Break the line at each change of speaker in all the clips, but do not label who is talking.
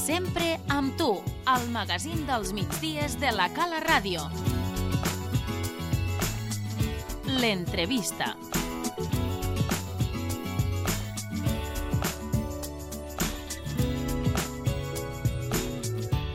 Sempre amb tu, al magazín dels migdies de la Cala Ràdio. L'entrevista.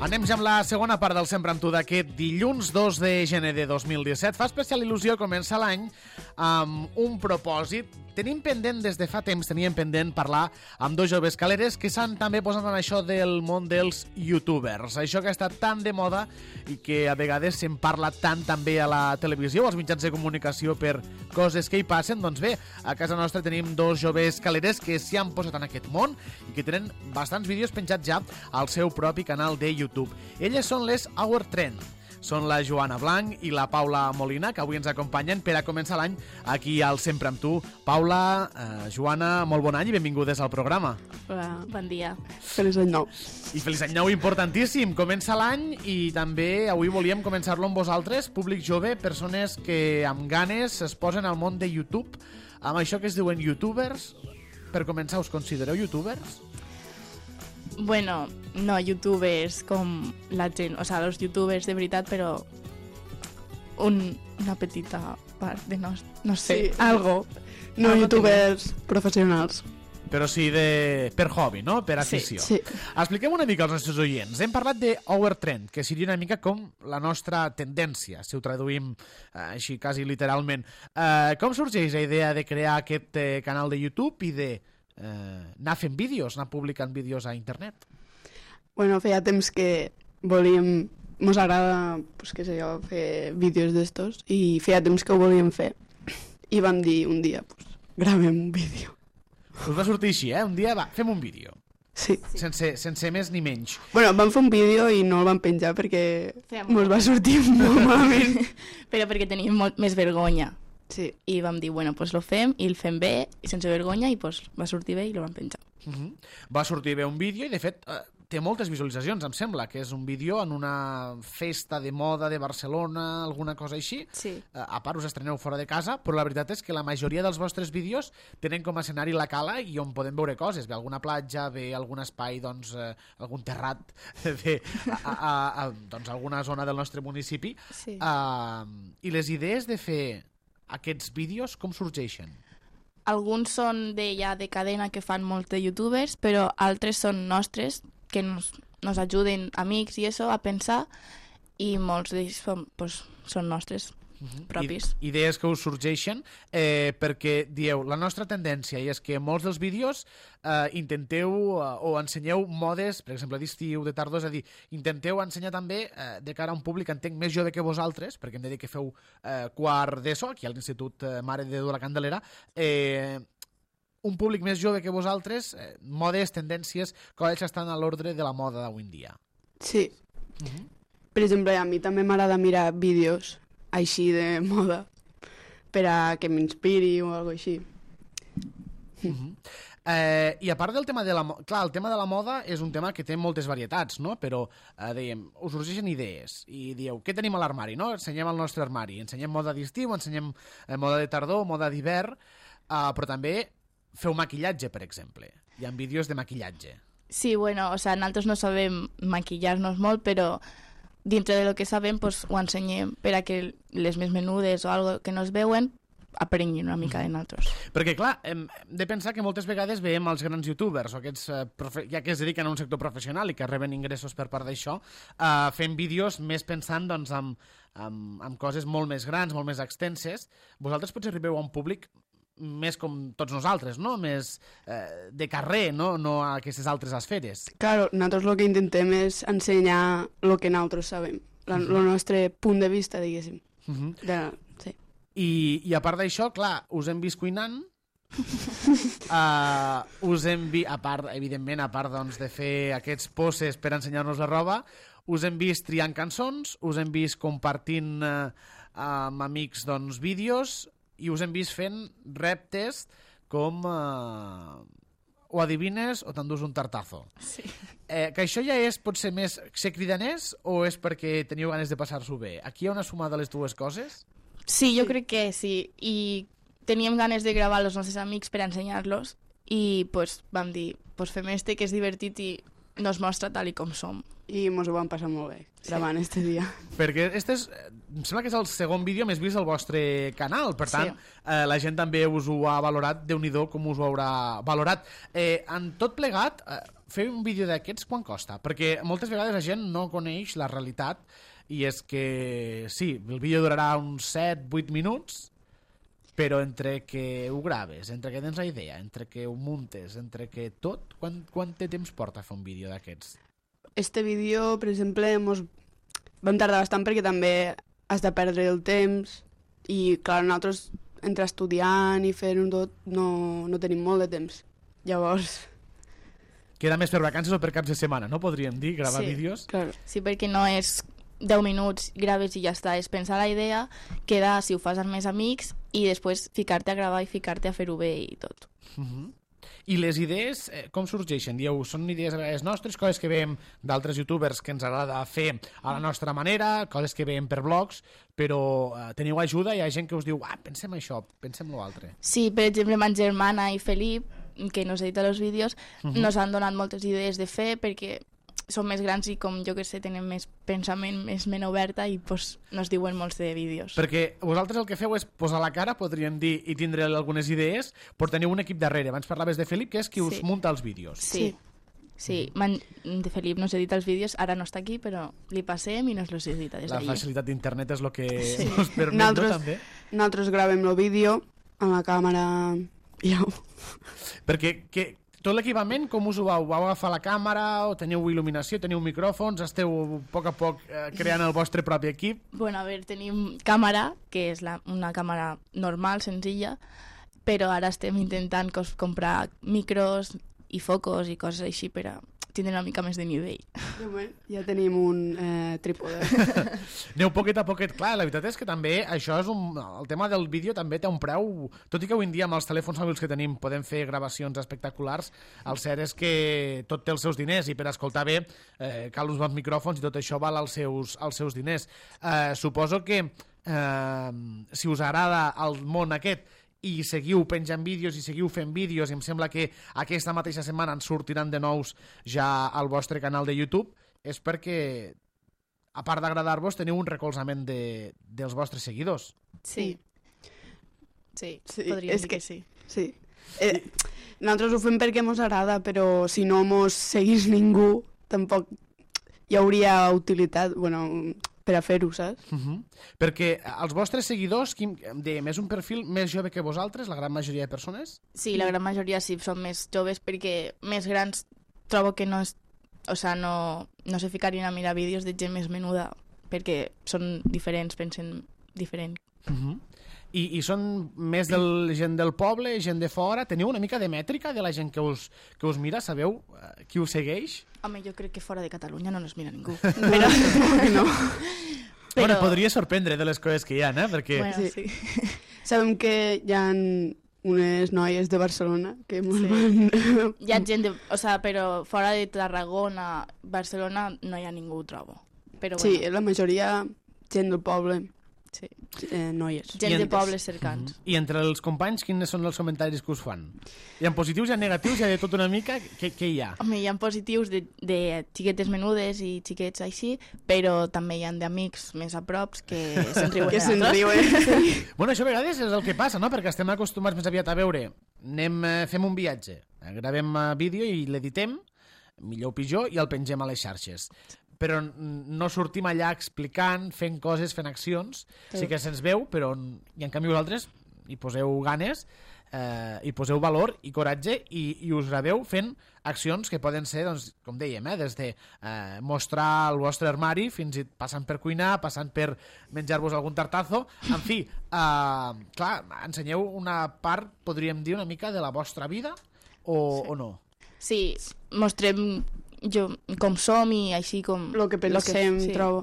Anem ja amb la segona part del Sempre amb tu d'aquest dilluns 2 de gener de 2017. Fa especial il·lusió començar l'any amb un propòsit. Teníem pendent parlar amb dos joves caleres que s'han també posat en això del món dels youtubers. Això que ha estat tan de moda i que a vegades se'n parla tant també a la televisió o als mitjans de comunicació per coses que hi passen. Doncs bé, a casa nostra tenim dos joves caleres que s'hi han posat en aquest món i que tenen bastants vídeos penjats ja al seu propi canal de YouTube. Elles són les Our Trend. Són la Joana Blanc i la Paula Molina, que avui ens acompanyen per a començar l'any aquí al Sempre amb tu. Paula, Joana, molt bon any i benvingudes al programa.
Hola, bon dia.
Feliç any nou.
I feliç any nou importantíssim. Comença l'any i també avui volíem començar-lo amb vosaltres, públic jove, persones que amb ganes es posen al món de YouTube, amb això que es diuen youtubers. Per començar, us considereu youtubers?
Bueno, no youtubers com la gent, o sea, los youtubers de veritat, però una petita part de no sé,
Sí.
algo.
No
Algo
youtubers professionals.
Però sí per hobby, no? Per afició.
Sí.
Expliquem una mica als nostres oients. Hem parlat de Our Trend, que seria una mica com la nostra tendència, si ho traduïm així quasi literalment. Com sorgeix la idea de crear aquest canal de YouTube i de anar fent vídeos, anar publicant vídeos a internet?
Bueno, feia temps que volíem... Mos agrada, pues, què sé jo, fer vídeos d'estos i feia temps que ho volíem fer. I vam dir un dia, pues, gravem un vídeo.
Us va sortir així, Un dia, va, fem un vídeo.
Sí.
Sense més ni menys.
Bueno, vam fer un vídeo i no el vam penjar perquè
Fèiem
mos va sortir molt malament.
Però perquè tenim molt més vergonya.
Sí.
I vam dir, bueno, pues lo fem i el fem bé i sense vergonya i pues va sortir bé i lo vam penjar.
Va sortir bé un vídeo i, de fet, té moltes visualitzacions, em sembla, que és un vídeo en una festa de moda de Barcelona, alguna cosa així.
Sí.
A part, us estreneu fora de casa, però la veritat és que la majoria dels vostres vídeos tenen com a escenari la cala i on podem veure coses. Ve alguna platja, ve algun espai, doncs, algun terrat, ve doncs, alguna zona del nostre municipi.
Sí.
I les idees de fer aquests vídeos com sorgeixen?
Alguns són de cadena que fan molts de youtubers, però altres són nostres, que nos ajuden amics i això a pensar, i molts d'ells són nostres propis.
Idees que us sorgeixen perquè dieu, la nostra tendència és que molts dels vídeos intenteu o ensenyeu modes, per exemple d'estiu, de tardor, és a dir, intenteu ensenyar també de cara a un públic, entenc, més jove que vosaltres, perquè hem de dir que feu quart d'ESO aquí a l'Institut Mare de Déu de la Candelera, un públic més jove que vosaltres, modes, tendències, coses que estan a l'ordre de la moda d'avui en dia.
Sí. Per exemple, a mi també m'agrada mirar vídeos així de moda per a que m'inspiri o alguna cosa així.
I a part del tema de la moda, clar, el tema de la moda és un tema que té moltes varietats, no? Però, dèiem, us sorgeixen idees i dieu, què tenim a l'armari, no? Ensenyem el nostre armari, ensenyem moda d'estiu, ensenyem moda de tardor, moda d'hivern, però també feu maquillatge, per exemple. Hi ha vídeos de maquillatge.
Sí, bueno, o sea, nosaltres no sabem maquillar-nos molt, però dintre de lo que sabem, pues, ho ensenyem per a que les més menudes o algo que no es veuen aprenguin una mica de nosaltres.
Perquè, clar, hem de pensar que moltes vegades veiem els grans youtubers o aquests ja que es dediquen a un sector professional i que reben ingressos per part d'això, fent vídeos més pensant doncs, en coses molt més grans, molt més extenses. Vosaltres potser arribeu a un públic més com tots nosaltres, no? Més de carrer, no a aquestes altres esferes.
Claro, nosaltres el que intentem és ensenyar el que nosaltres sabem, el nostre punt de vista, diguéssim. Sí.
I a part d'això, clar, us hem vist cuinant, us hem vist, evidentment, a part doncs, de fer aquests poses per ensenyar-nos la roba, us hem vist triant cançons, us hem vist compartint amb amics doncs, vídeos, i us hem vist fent reptes com o adivines o t'endús un tartazo.
Sí.
Que això ja és potser més ser cridaners o és perquè teniu ganes de passar-s'ho bé? Aquí hi ha una suma de les dues coses?
Sí, jo crec que sí. I teníem ganes de gravar els nostres amics per ensenyar-los i pues, vam dir, pues, fem este que és divertit i nos mostra tal i com som.
I mos ho vam passar molt bé gravant este dia.
Perquè este és, em sembla que és el segon vídeo més vist del vostre canal, per tant, la gent també us ho ha valorat, Déu-n'hi-do com us ho haurà valorat. En tot plegat, fer un vídeo d'aquests quan costa? Perquè moltes vegades la gent no coneix la realitat i és que, sí, el vídeo durarà uns 7-8 minuts, però entre que ho graves, entre que tens la idea, entre que ho muntes, entre que tot, quant de temps porta fer un vídeo d'aquests?
Este vídeo, per exemple, vam tardar bastant perquè també has de perdre el temps i, clar, nosaltres, entre estudiant i fent-ho tot, no tenim molt de temps. Llavors...
Queda més per vacances o per caps de setmana, no podríem dir, gravar vídeos?
Claro.
Sí, perquè no és 10 minuts, graves i ja està, és pensar la idea, quedar si ho fas amb més amics i després ficar-te a gravar i ficar-te a fer-ho bé i tot.
I les idees, com sorgeixen? Dieu, són idees a vegades nostres, coses que veiem d'altres youtubers que ens agrada fer a la nostra manera, coses que veiem per blogs, però teniu ajuda, hi ha gent que us diu, pensem això, pensem l'altre.
Sí, per exemple, ma germana i Felip, que nos edita els vídeos, nos han donat moltes idees de fer perquè som més grans i com jo que sé tenen més pensament, més ment oberta i pues, nos diuen molts de vídeos.
Perquè vosaltres el que feu és posar la cara, podríem dir, i tindre algunes idees, però teniu un equip darrere. Abans parlaves de Felip, que és qui us munta els vídeos.
Sí. De Felip nos edita els vídeos, ara no està aquí, però li passem i nos los edita des d'allí.
La facilitat d'internet és el que us permet, no, també?
Nosaltres gravem el vídeo amb la càmera i au.
Perquè tot l'equipament, com us ho vau? Vau agafar la càmera o teniu il·luminació, teniu micròfons, esteu a poc creant el vostre propi equip?
Bueno, a veure, tenim càmera, que és una càmera normal, senzilla, però ara estem intentant comprar micros i focos i coses així per a tindre una mica més de nivell.
Ja tenim un trípode.
Aneu poquet a poquet. Clar, la veritat és que també això és el tema del vídeo també té un preu, tot i que avui en dia amb els telèfons mòbils que tenim podem fer gravacions espectaculars, el cert és que tot té els seus diners i per escoltar bé cal uns bons micròfons i tot això val els seus diners. Suposo que si us agrada el món aquest i seguiu penjant vídeos i seguiu fent vídeos i em sembla que aquesta mateixa setmana en sortiran de nous ja al vostre canal de YouTube, és perquè a part d'agradar-vos teniu un recolzament dels vostres seguidors.
Sí, podríem dir que sí.
Sí. Nosaltres ho fem perquè mos agrada, però si no mos seguís ningú tampoc hi hauria utilitat, per a fer-ho, saps?
Perquè els vostres seguidors, més un perfil més jove que vosaltres, la gran majoria de persones?
Sí, la gran majoria sí, són més joves perquè més grans trobo que no se ficarien a mirar vídeos de gent més menuda perquè són diferents, pensen diferent.
I són més gent del poble, gent de fora? Teniu una mica de mètrica de la gent que us mira? Sabeu qui us segueix?
Home, jo crec que fora de Catalunya no nos mira ningú.
Però no.
Bueno, podria sorprendre de les coses que hi ha, Perquè...
Bueno, sí.
Sabem que hi ha unes noies de Barcelona que van...
Hi ha gent però fora de Tarragona, Barcelona, no hi ha ningú, ho trobo. Però,
sí, la majoria gent del poble.
Sí.
Noies.
Gent de pobles cercans.
I entre els companys, quins són els comentaris que us fan? Hi ha positius, hi ha negatius, hi ha de tot una mica? Què hi ha?
Home, hi ha positius de xiquetes menudes i xiquets així, però també hi ha d'amics més a props que se'n riuen.
Que se'n riuen.
Bueno, això a vegades és el que passa, no? Perquè estem acostumats més aviat a veure. Fem un viatge, gravem vídeo i l'editem, millor o pitjor, i el pengem a les xarxes. Però no sortim allà explicant, fent coses, fent accions. Sí que se'ns veu, però i en canvi vosaltres hi poseu ganes, hi poseu valor i coratge i us graveu fent accions que poden ser, doncs, com dèiem, des de mostrar el vostre armari fins i passant per cuinar, passant per menjar-vos algun tartazo. En fi, clar, ensenyeu una part, podríem dir, una mica de la vostra vida o no?
Sí, mostrem com som i així com...
Lo que pensem, trobo.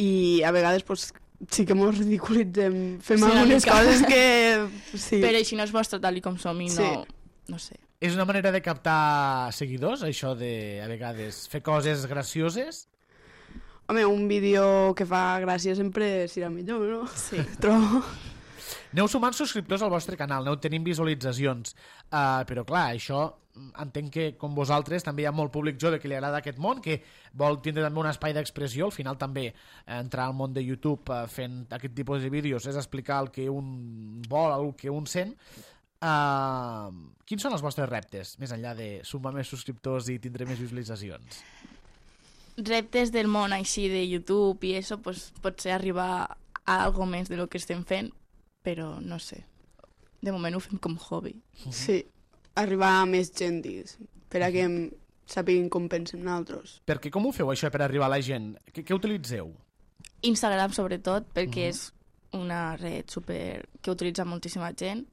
I a vegades, sí que mos ridiculitzem. Fem algunes coses que... Sí.
Però així no es mostra tal com som i no sé.
És una manera de captar seguidors, això de, a vegades, fer coses gracioses?
Home, un vídeo que fa gràcia sempre serà millor, no?
Sí.
Trobo.
Aneu sumant subscriptors al vostre canal, aneu tenint visualitzacions, però clar, això entenc que com vosaltres també hi ha molt públic jove que li agrada aquest món, que vol tindre també un espai d'expressió. Al final també entrar al món de YouTube fent aquest tipus de vídeos és explicar el que un vol, el que un sent. Quins són els vostres reptes, més enllà de sumar més subscriptors i tindre més visualitzacions?
Reptes del món així de YouTube i això, pues, potser arribar a algo més de lo que estem fent, però no sé. De moment ho fem com hobby.
Sí, arribar a més gent, digues, per a que sàpiguin com pensem nosaltres.
Perquè com ho feu, això, per arribar a la gent? Què utilitzeu?
Instagram, sobretot, perquè és una red super que utilitza moltíssima gent,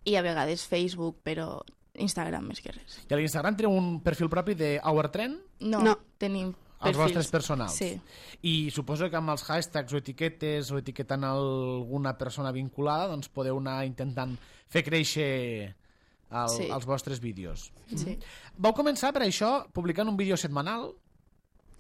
i a vegades Facebook, però Instagram més que res.
I a l'Instagram teniu un perfil propi de Our Trend?
No. Tenim perfils.
Els vostres personals?
Sí.
I suposo que amb els hashtags o etiquetes o etiquetant alguna persona vinculada doncs podeu anar intentant fer créixer els vostres vídeos.
Sí.
Vau començar per això publicant un vídeo setmanal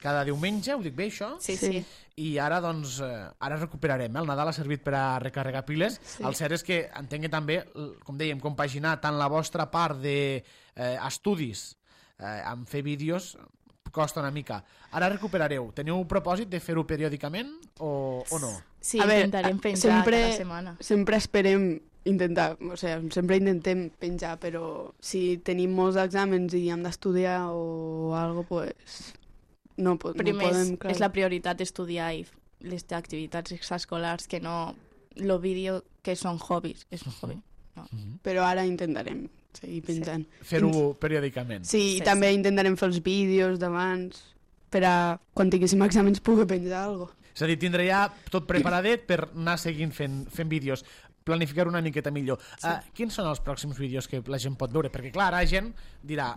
cada diumenge, ho dic bé això?
Sí.
I ara doncs ara recuperarem, el Nadal ha servit per a recarregar piles. El cert és que entenc que també, com dèiem, compaginar tant la vostra part d'estudis amb fer vídeos costa una mica. Ara recuperareu. Teniu un propòsit de fer-ho periòdicament o no?
Sí, intentarem penjar cada setmana.
Sempre esperem intentar, o sigui, sempre intentem penjar, però si tenim molts exàmens i hem d'estudiar o alguna cosa, pues, no podem...
És la prioritat estudiar i les activitats extraescolars, que no el vídeo que són hobbiis. És un hobby. No.
Però ara intentarem seguir penjant.
Fer-ho periòdicament.
Sí, i també intentarem fer els vídeos d'abans per a, quan tinguéssim exàmens, poder penjar alguna cosa.
És a dir, tindré ja tot preparadet per anar seguint fent vídeos. Planificar una miqueta millor. Quins són els pròxims vídeos que la gent pot veure? Perquè, clar, la gent dirà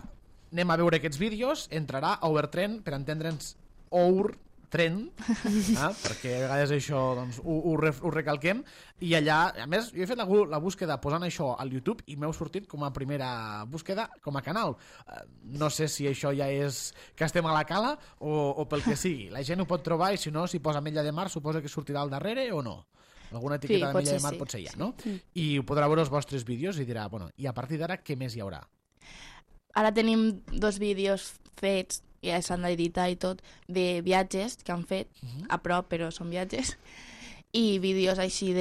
anem a veure aquests vídeos, entrarà a Overtrend, per entendre'ns Overtrend, perquè a vegades això doncs, ho recalquem, i allà, a més, jo he fet la búsqueda posant això al YouTube i m'heu sortit com a primera búsqueda com a canal. No sé si això ja és que estem a la cala o pel que sigui. La gent ho pot trobar i si no, si posa Ametlla de Mar, suposa que sortirà al darrere o no? Alguna etiqueta d'Ametlla de Mar potser hi ha, no? I ho podrà veure els vostres vídeos i dirà, bueno, i a partir d'ara què més hi haurà?
Ara tenim 2 vídeos fets, ja s'han d'editar i tot, de viatges que han fet, a prop, però són viatges, i vídeos així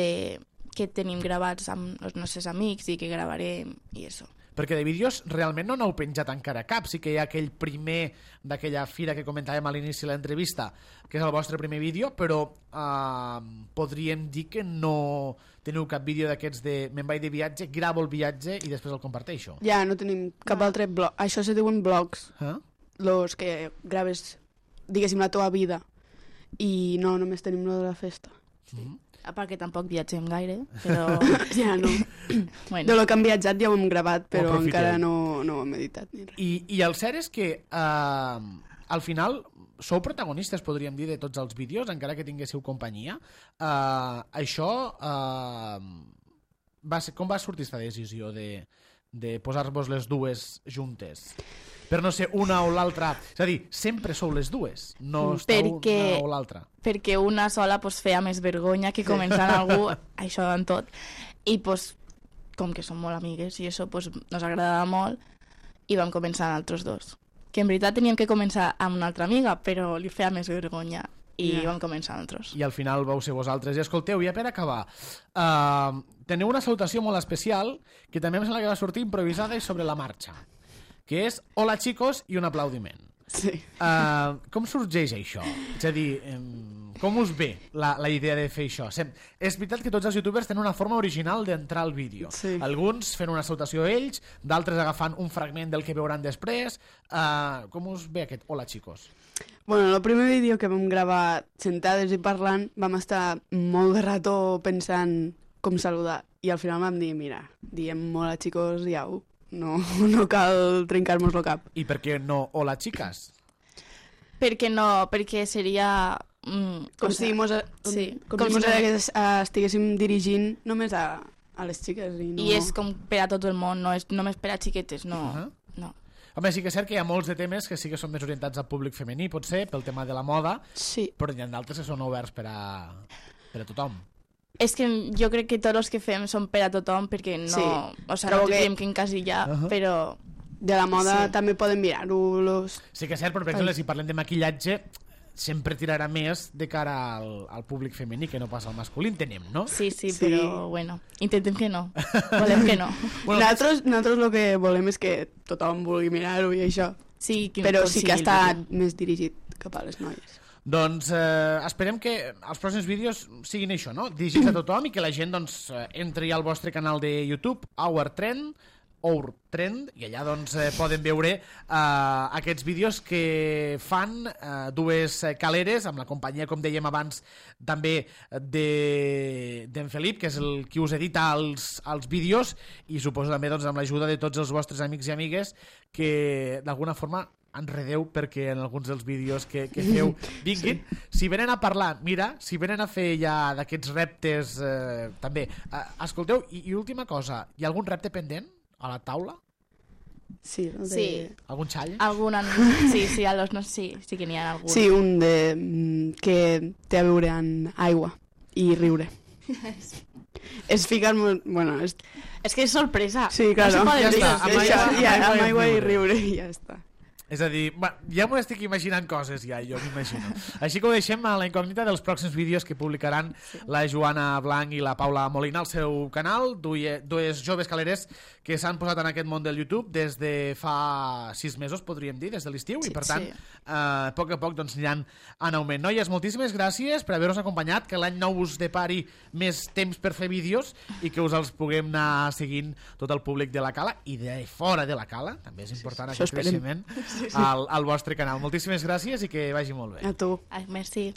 que tenim gravats amb els nostres amics i que gravarem i això.
Perquè de vídeos realment no n'heu penjat encara cap. Sí que hi ha aquell primer d'aquella fira que comentàvem a l'inici de l'entrevista, que és el vostre primer vídeo, però podríem dir que no teniu cap vídeo d'aquests de me'n vaig de viatge, gravo el viatge i després el comparteixo.
Ja, no tenim cap altre blog. Això se diuen blogs, los que graves, diguéssim, la teva vida. I no, només tenim lo de la festa.
A part que tampoc viatgem gaire, però...
Ja no.
Bueno.
De lo que hem viatjat ja ho hem gravat, però encara no ho hem editat ni res.
I el cert és que al final sou protagonistes, podríem dir, de tots els vídeos, encara que tinguéssiu companyia. Això com va sortir aquesta decisió de posar-vos les dues juntes? Per no ser una o l'altra. És a dir, sempre sou les dues, no esteu una o l'altra.
Perquè una sola pues, feia més vergonya que començar amb algú, això en tot. I pues, com que som molt amigues i això pues, nos agradava molt, i vam començar altres dos. Que en veritat teníem que començar amb una altra amiga, però li feia més vergonya i vam començar altres.
I al final vau ser vosaltres. I escolteu, ja per acabar, teniu una salutació molt especial que també em sembla que va sortir improvisada i sobre la marxa, que és hola chicos i un aplaudiment.
Sí.
Com sorgeix això? És a dir, com us ve la idea de fer això? És veritat que tots els youtubers tenen una forma original d'entrar al vídeo.
Sí.
Alguns fent una salutació a ells, d'altres agafant un fragment del que veuran després. Com us ve aquest hola chicos?
Bueno, el primer vídeo que vam gravar sentades i parlant, vam estar molt de rato pensant com saludar. I al final vam dir, mira, diem hola chicos i au. No cal trencar-nos el cap.
I per què no hola chicas?
Perquè no, perquè seria...
com si estiguéssim dirigint només a les xiques.
I és com per a tot el món, no és només per a xiquetes, no. No.
Home, sí que és cert que hi ha molts de temes que sí que són més orientats al públic femení, potser, pel tema de la moda,
sí.
Però hi ha d'altres que són oberts per a tothom.
És que jo crec que tots els que fem són per a tothom, perquè no...
Sí.
O sigui, no tindríem que encasillar, però...
De la moda també poden mirar-ho.
Sí que és cert, però per exemple, si parlem de maquillatge, sempre tirarà més de cara al públic femení que no passa al masculí, entenem, no?
Sí, però bueno, intentem que no. Volem que no.
Bueno, nosaltres el que volem és que tothom vulgui mirar-ho i això.
Sí,
però sí que està més dirigit cap a les noies.
Doncs esperem que els pròxims vídeos siguin això, no? Dirigits a tothom i que la gent doncs, entri al vostre canal de YouTube, Our Trend, i allà doncs, poden veure aquests vídeos que fan dues caleres amb la companyia, com dèiem abans, també d'en Felip, que és el qui us edita els vídeos, i suposo també doncs, amb l'ajuda de tots els vostres amics i amigues que d'alguna forma enredeu perquè en alguns dels vídeos que feu vinguin. Si venen a parlar, mira, si venen a fer ja d'aquests reptes també, escolteu, i última cosa, hi ha algun repte pendent a la taula?
Sí.
Algun xall?
Sí, a los no, sí que n'hi ha algun.
Sí, un que té a veure amb aigua i riure. És ficar molt... Bueno,
és que és sorpresa.
Sí, claro.
No
ja està,
amb aigua i riure i ja està.
És a dir, ja m'ho estic imaginant coses, ja, jo m'imagino. Així que ho deixem a la incògnita dels pròxims vídeos que publicaran la Joana Blanc i la Paula Molina al seu canal, dues joves caleres que s'han posat en aquest món del YouTube des de fa 6 mesos, podríem dir, des de l'estiu, i per tant, a poc doncs aniran en augment. Noies, moltíssimes gràcies per haver-nos acompanyat, que l'any nou us depari més temps per fer vídeos i que us els puguem anar seguint tot el públic de la Cala i de fora de la Cala, també és important aquest creixement al vostre canal. Moltíssimes gràcies i que vagi molt bé.
A tu.
Merci.